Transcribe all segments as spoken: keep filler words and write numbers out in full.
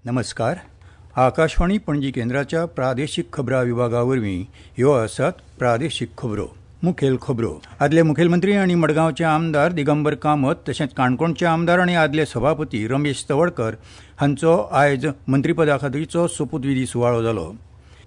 नमस्कार. आकाशवाणी पणजी केंद्राच्या प्रादेशीक खबरां विभागा वरवीं ह्यो आसात प्रादेशीक खबरो. मुखेल खबरो. आदले मुखेलमंत्री आनी मडगांवचे आमदार दिगंबर कामत तशेंच काणकोणचे आमदार आनी आदले सभापती रमेश तवडकर हांचो आयज मंत्रीपदा खातीरचो सोपूतविधी सुवाळो जालो.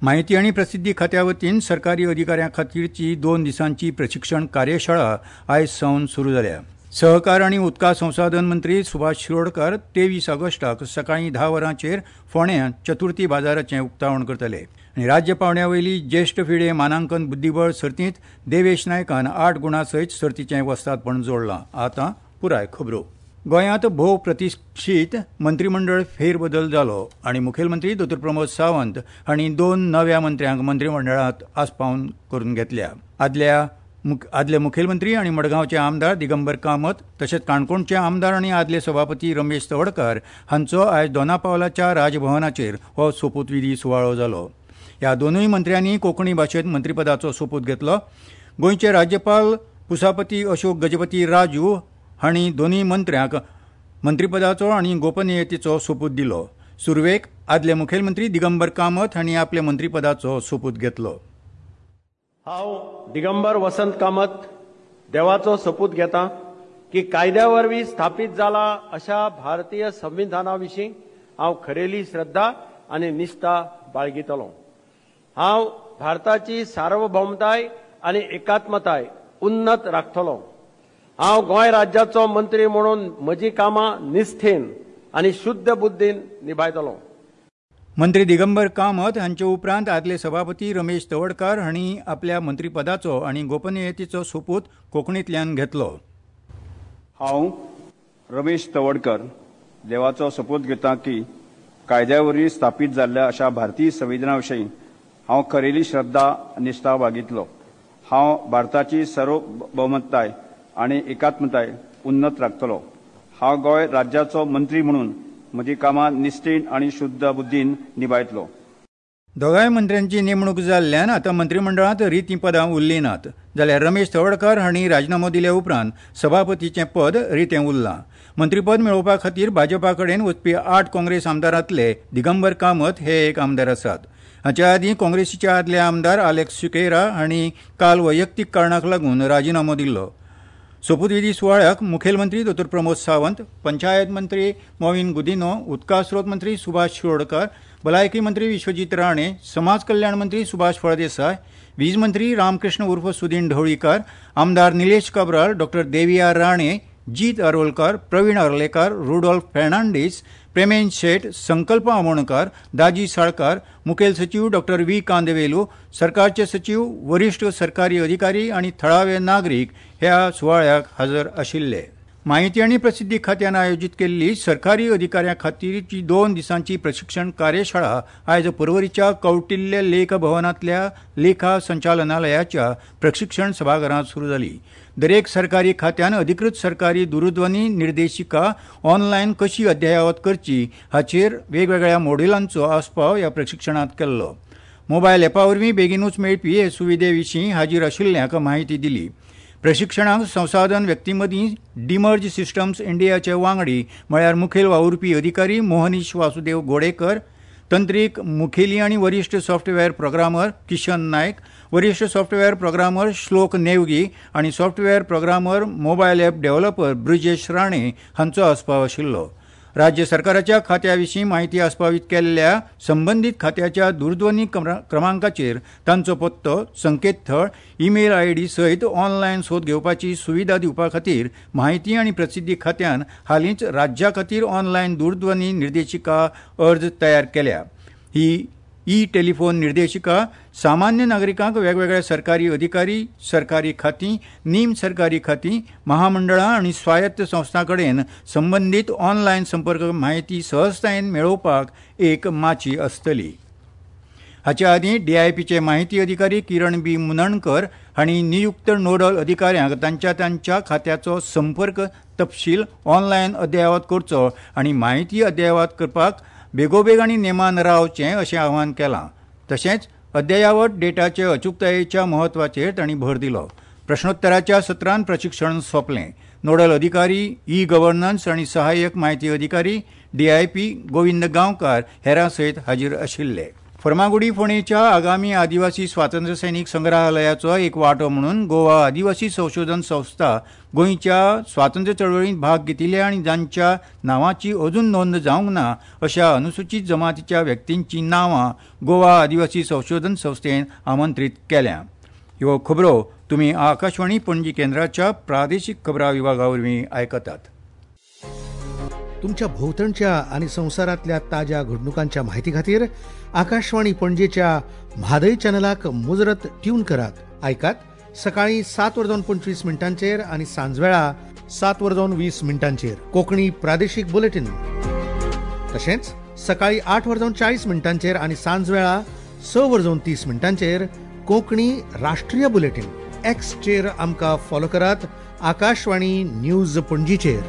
म्हायती आनी प्रसिद्धी खात्या वतीन सरकारी अधिकाऱ्यां खातीरची दोन दिसांची प्रशिक्षण कार्यशाळा आयज सावन सुरू जाल्या. सहकार आनी उदका संसाधन मंत्री सुभाष शिरोडकर तेवीस ऑगस्टाक सकाळीं धा वरांचेर फोंड्यां चतुर्थी बाजाराचें उक्तावण करतले. आनी राज्य पांवड्या वयली ज्येश्ठ फिडे मानांकन बुद्दीबळ सर्तींत देवेश नायकान आठ गुणां सयत सर्तीचें वस्तादपण जोडलां. आतां पुराय खबरो. गोंयांत भोव प्रतिश्ठीत मंत्रीमंडळ फेरबदल जालो आनी मुखेलमंत्री दोतोर प्रमोद सावंत हांणी दोन नव्या मंत्र्यांक मंत्रीमंडळांत आस्पावन करून घेतल्या. आदल्या आदले मुखेलमंत्री आनी मडगांवचे आमदार दिगंबर कामत तशेंच काणकोणचे आमदार आनी आदले सभापती रमेश तवडकर हांचो आयज दोनापावलाच्या राजभवनाचेर हो सोपूतविधी सुवाळो जालो. ह्या दोनूय मंत्र्यांनी कोंकणी भाशेंत मंत्रीपदाचो सोपूत घेतलो. गोंयचे राज्यपाल पुसापती अशोक गजपती राजू हांणी दोनूय मंत्र्यांक मंत्रीपदाचो आनी गोपनीयतेचो सोपूत दिलो. सुरवेक आदले मुखेलमंत्री दिगंबर कामत हांणी आपल्या मंत्रीपदाचो सोपूत घेतलो. हांव दिगंबर वसंत कामत देवाचो सोपूत घेता की कायद्या वरवीं स्थापीत जाला अशा भारतीय संविधाना विशीं हांव खरेली श्रद्धा आनी निश्ठा बाळगितलो. हांव भारताची सार्वभौमताय आनी एकात्मताय उन्नत राखतलो. हांव गोंय राज्याचो मंत्री म्हणून म्हजी कामां निष्ठेन आनी शुद्ध बुद्धीन निभायतलो. मंत्री दिगंबर कामत हांचे उपरांत आदले सभापती रमेश तवडकार हांणी आपल्या मंत्रीपदाचो आनी गोपनीयतेचो सोपूत कोंकणींतल्यान घेतलो. हांव रमेश तवडकर देवाचो सोपूत घेता की कायद्या वरवीं स्थापीत जाल्ल्या अशा भारतीय संविधाना विशीं हांव खरेली श्रद्धा निश्ठा बाळगितलो. हांव भारताची सार्वभौमताय आनी एकात्मताय उन्नत राखतलो. हांव गोंय राज्याचो मंत्री म्हणून म्हजी कामां निश्ठेन आनी शुद्ध बुद्धीन निभायतलो. दोगांय मंत्र्यांची नेमणूक जाल्ल्यान आतां मंत्रीमंडळांत रितीं पदां उरलीं नात. जाल्यार रमेश तवडकार हांणी राजिनामो दिल्या उपरांत सभापतीचें पद रितें उरलां. मंत्रीपद मेळोवपा खातीर भाजपा कडेन वचपी आठ काँग्रेस आमदारांतले दिगंबर कामत हे एक आमदार आसात. हाचे आदीं काँग्रेसीचे आदले आमदार आलेक्स सिकेरा हांणी काल वैयक्तीक कारणाक लागून राजिनामो दिल्लो. सोपूतविधी सुवाळ्याक मुखेलमंत्री दोतोर प्रमोद सावंत, पंचायत मंत्री मॉवीन गुदिन्हो, उदका स्रोत मंत्री सुभाष शिरोडकर, भलायकी मंत्री विश्वजीत राणे, समाज कल्याण मंत्री सुभाष फळदेसाय, वीज मंत्री रामकृष्ण उर्फ सुदीन ढवळीकार, आमदार निलेश काब्राल, डॉक्टर देविया राणे, जीत आरोलकार, प्रवीण आर्लेकार, रुडॉल्फ फेर्नांडीस, प्रेमेन शेट, संकल्प आमोणकार, दाजी साळकार, मुखेल सचीव डॉक्टर व्ही कांदवेलू, सरकारचे सचीव, वरिश्ठ सरकारी अधिकारी आनी थळावे नागरीक ह्या सुवाळ्याक हजर आशिल्ले. म्हायती आनी प्रसिद्धी खात्यान आयोजीत केल्ली सरकारी अधिकाऱ्यां खातीरची दोन दिसांची प्रशिक्षण कार्यशाळा आयज पर्वरीच्या कौटिल्य लेख भवनांतल्या लेखा संचालनालयाच्या प्रशिक्षण सभाघरांत सुरू जाली. दरेक सरकारी खात्यान अधिकृत सरकारी दूरध्वनी निर्देशिका ऑनलायन कशी अद्ययावत करची हाचेर वेगवेगळ्या मॉड्युलांचो आस्पाव ह्या प्रशिक्षणांत केल्लो. मोबायल एपा वरवीं बेगिनूच मेळपी हे सुविधे विशीं हाजीर आशिल्ल्यांक म्हायती दिली. प्रशिक्षणाक संसाधन व्यक्तीमदीं डिमर्ज सिस्टम्स इंडियाचे वांगडी म्हळ्यार मुखेल वावुरपी अधिकारी मोहनीश वासुदेव गोडेकर, तंत्रीक मुखेली आनी वरिश्ठ सॉफ्टवेअर प्रोग्रामर किशन नायक, वरिश्ठ सॉफ्टवेअर प्रोग्रामर श्लोक नेवगी आनी software programmer mobile app developer Brijesh Rane हांचो आस्पाव आशिल्लो. राज्य सरकाराच्या खात्या विशीं म्हायती आस्पावीत केल्ल्या संबंदीत खात्याच्या दूरध्वनी क्रमांकाचेर तांचो पत्तो, संकेतथळ, ईमेल आयडी सयत ऑनलायन सोद घेवपाची सुविधा दिवपा खातीर म्हायती आनी प्रसिद्धी खात्यान हालींच राज्या खातीर ऑनलायन दूरध्वनी निर्देशिका अर्ज तयार केल्या. ही ई टेलिफोन निर्देशिका सामान्य नागरिकांक वेगवेगळे सरकारी अधिकारी, सरकारी खातीं, नीम सरकारी खातीं, महामंडळां आनी स्वायत्त संस्थां कडेन संबंदीत ऑनलायन संपर्क म्हायती सहजतायेन मेळोवपाक एक माची आसतली. हाचे आदीं डीआयपीचे माहिती अधिकारी किरण बी मुनणकर हांणी नियुक्त नोडल अधिकाऱ्यांक तांच्या तांच्या खात्याचो संपर्क तपशील ऑनलायन अद्ययावत करचो आनी म्हायती अद्ययावत करपाक बेगोबेग आनी नेमान रावचें अशें आवाहन केलां. तशेंच अद्ययावत डेटाचे अचूकतायेच्या म्हत्वाचेर तांणी भर दिलो. प्रश्नोत्तराच्या सत्रान प्रशिक्षण सोंपलें. नोडल अधिकारी ई गव्हर्नन्स आनी सहाय्यक म्हायती अधिकारी डीआयपी गोविंद गांवकार हेरां सयत हाजीर आशिल्ले. फर्मागुडी फोंडेच्या आगामी आदिवासी स्वातंत्र्य सैनिक संग्रहालयाचो एक वांटो म्हणून गोवा आदिवासी संशोधन संस्था गोंयच्या स्वातंत्र्य चळवळींत भाग घेतिल्ल्या आनी जांच्या नांवाची अजून नोंद जावंक ना अशा अनुसूचित जमातीच्या व्यक्तींची नांवां गोवा आदिवासी संशोधन संस्थेन आमंत्रीत केल्या. ह्यो खबरो तुमी आकाशवाणी पणजी केंद्राच्या प्रादेशीक खबरां विभागा वरवीं आयकतात. तुमच्या भोवतणच्या आनी संवसारांतल्या ताज्या घडणुकांच्या म्हायती खातीर आकाशवाणी पणजेच्या म्हादय चॅनलाक मुजरत ट्यून करात. आयकात सकाळी सात वरां जावन पंचवीस मिनटांचेर आनी सांजवेळा सात वरां जावन वीस मिनटांचेर कोंकणी प्रादेशीक बुलेटीन. तशेंच सकाळी आठ वरां जावन चाळीस मिनटांचेर आनी सांजवेळा स वरां जावन तीस मिनटांचेर कोंकणी राष्ट्रीय बुलेटीन. एक्सचेर आमकां फॉलो करात आकाशवाणी न्यूज पणजीचेर.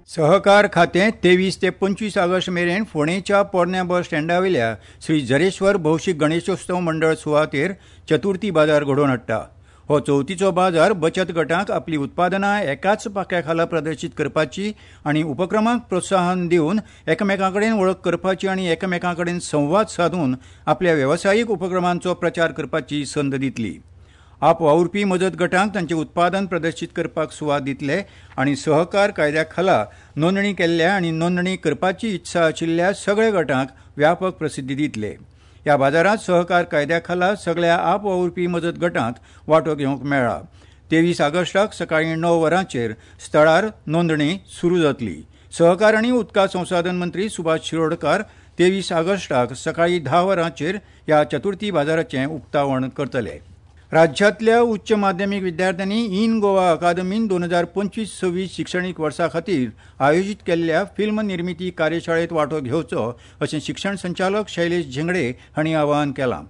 सहकार खातें तेवीस ते पंचवीस ऑगस्ट मेरेन फोंडेच्या पोरण्या बस स्टँडावेल्या श्री जरेश्वर भौशीक गणेशोत्सव मंडळ सुवातेर चतुर्थी बाजार घडोवन हाडटा. हो चवथीचो बाजार बचत गटांक आपली उत्पादनां एकाच पाख्या खाला प्रदर्शीत करपाची आनी उपक्रमांक प्रोत्साहन दिवन एकामेकां कडेन वळख करपाची आनी एकामेकां कडेन संवाद सादून आपल्या वेवसायीक उपक्रमांचो प्रचार करपाची संद दितली. आप वावुरपी मजत गटांक तांचें उत्पादन प्रदर्शीत करपाक सुवात दितले आनी सहकार कायद्या खाला नोंदणी केल्ल्या आनी नोंदणी करपाची इत्सा आशिल्ल्या सगळ्या गटांक व्यापक प्रसिद्धी दितले. ह्या बाजारांत सहकार कायद्या खाला सगळ्या आप वावुरपी मजत गटांक वांटो घेवंक मेळ्ळा. तेवीस ऑगस्टाक सकाळीं णव वरांचेर स्थळार नोंदणी सुरू जातली. सहकार आनी उदका संसाधन मंत्री सुभाष शिरोडकार तेवीस ऑगस्टाक सकाळीं धा वरांचेर ह्या चतुर्थी बाजाराचें उक्तावण करतले. राज्यांतल्या उच्च माध्यमीक विद्यार्थ्यांनी इन गोवा अकादमीन दोन हजार पंचवीस सव्वीस शिक्षणीक वर्सा खातीर आयोजीत केल्ल्या फिल्म निर्मिती कार्यशाळेंत वांटो घेवचो अशें शिक्षण संचालक शैलेश झेंगडे हांणी आवाहन केलां.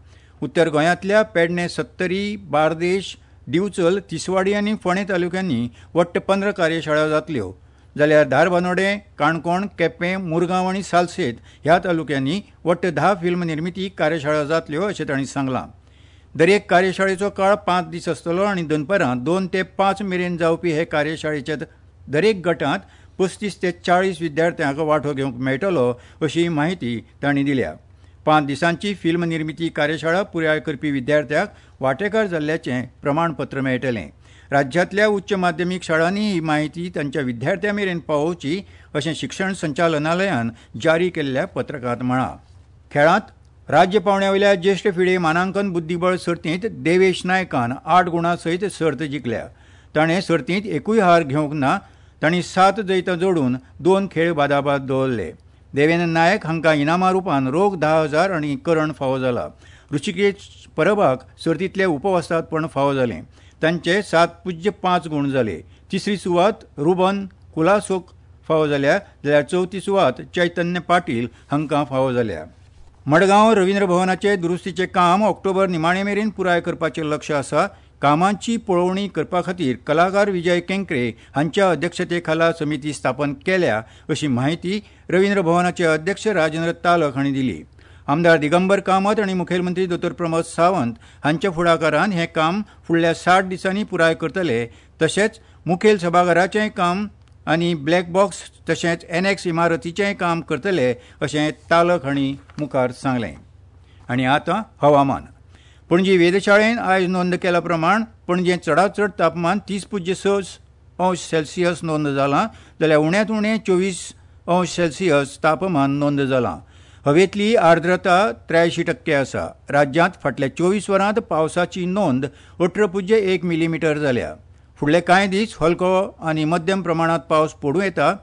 उत्तर गोंयांतल्या पेडणे, सत्तरी, बार्देश, दिवचल, तिसवाडी आनी फोंडें तालुक्यांनी वट्ट पंदरा कार्यशाळा जातल्यो, जाल्यार धारबानोडें, काणकोण, केपें, मुरगांव आनी सालसेत ह्या तालुक्यांनी वट्ट धा फिल्म निर्मिती कार्यशाळा जातल्यो अशें तांणी सांगलां. दरेक कार्यशाळेचो काळ पांच दीस आसतलो आनी दनपारां दोन ते पांच मेरेन जावपी हे कार्यशाळेच्या दरेक गटांत पस्तीस ते चाळीस विद्यार्थ्यांक वांटो घेवंक मेळटलो अशी म्हायती तांणी दिल्या. पांच दिसांची फिल्म निर्मिती कार्यशाळा पुराय करपी विद्यार्थ्यांक वांटेकार जाल्ल्याचें प्रमाणपत्र मेळटलें. राज्यांतल्या उच्च माध्यमीक शाळांनी ही म्हायती तांच्या विद्यार्थ्यां मेरेन पावोवची अशें शिक्षण संचालनालयान जारी केल्ल्या पत्रकांत म्हळां. खेळांत राज्य पावंड्यावेल्या ज्येश्ठ फिडे मानांकन बुद्दीबळ सर्तींत देवेश नायकान आठ गुणां सयत सर्त जिखल्या. ताणें सर्तींत एकूय हार घेवंक ना. तांणी सात जैतां जोडून दोन खेळ बादाबाद दवरले. देवेंद्र नायक हांकां इनामां रुपान रोख धा हजार आनी करण फावो जाला. ऋषिकेश परबाक सर्तींतले उपवस्तादपण फावो जालें. तांचे सात पुज्य पांच गूण जाले. तिसरी सुवात रुबन कुलासोक फावो जाल्या, जाल्यार चवथी सुवात चैतन्य पाटील हांकां फावो जाल्या. मडगांव रवींद्र भवनाचे दुरुस्तीचें काम ऑक्टोबर निमाणे मेरेन पुराय करपाचें लक्ष आसा. कामांची पळोवणी करपा खातीर कलाकार विजय केंकरे हांच्या अध्यक्षते खाला समिती स्थापन केल्या अशी म्हायती रवींद्र भवनाचे अध्यक्ष राजेंद्र तालक हांणी दिली. आमदार दिगंबर कामत आनी मुखेलमंत्री दोतोर प्रमोद सावंत हांच्या फुडाकारान हें काम फुडल्या साठ दिसांनी पुराय करतले. तशेंच मुखेल सभाघराचेंय काम आनी ब्लॅक बॉक्स तशेंच एनएक्स इमारतीचेंय काम करतले अशें तालक हांणी मुखार सांगलें. आनी आतां हवामान. पणजी वेधशाळेन आयज नोंद केल्या प्रमाण पणजेंत चडांत चड तापमान तीस पुज्य स अंश सेल्सियस नोंद जालां, जाल्यार उण्यांत उणें चोवीस अंश सेल्सियस तापमान नोंद जालां. हवेंतली आर्द्रता त्र्यायशीं टक्के आसा. राज्यांत फाटल्या चोवीस वरांत पावसाची नोंद अठरा पुज्य एक मिलीमिटर जाल्या. फुडले कांय दीस हलको आनी मध्यम प्रमाणांत पावस पडूं येता.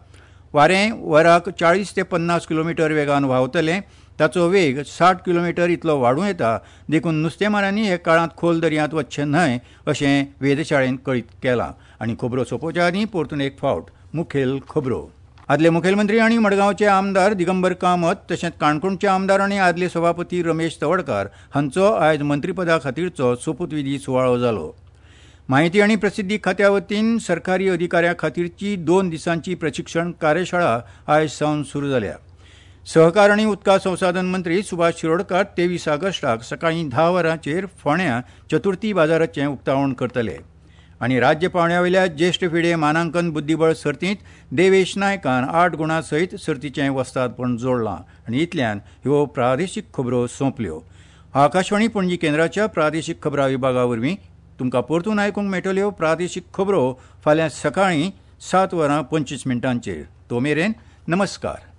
वारें वराक चाळीस ते पन्नास किलोमिटर वेगान व्हांवतलें. ताचो वेग साठ किलोमिटर इतलो वाडूं येता. देखून नुस्तेमारांनी हे काळांत खोल दर्यांत वचचें न्हय अशें वेधशाळेन कळीत केलां. आनी खबरो सोंपोवच्या आदीं परतून एक फावट मुखेल खबरो. आदले मुखेलमंत्री आनी मडगांवचे आमदार दिगंबर कामत तशेंच काणकोणचे आमदार आनी आदले सभापती रमेश तवडकार हांचो आयज मंत्रीपदा खातीरचो सोपूतविधी सुवाळो जालो. म्हायती आनी प्रसिद्धी खात्या वतीन सरकारी अधिकाऱ्यां खातीरची दोन दिसांची प्रशिक्षण कार्यशाळा आयज सावन सुरू जाल्या. सहकार आनी उदका संसाधन मंत्री सुभाष शिरोडकार तेवीस ऑगस्टाक सकाळीं धा वरांचेर फोंड्यां चतुर्थी बाजाराचें उक्तावण करतले. आनी राज्य पांवड्यावेल्या ज्येश्ठ फिडे मानांकन बुद्दीबळ सर्तींत देवेश नायकान आठ गुणां सयत सर्तीचें वस्तादपण जोडलां. आनी इतल्यान ह्यो प्रादेशीक खबरो सोंपल्यो. आकाशवाणी पणजी केंद्राच्या प्रादेशीक खबरां विभागा वरवीं तुमकां परतून आयकूंक मेळटल्यो प्रादेशीक खबरो फाल्यां सकाळीं सात वरां पंचवीस मिनटांचेर. तो मेरेन नमस्कार.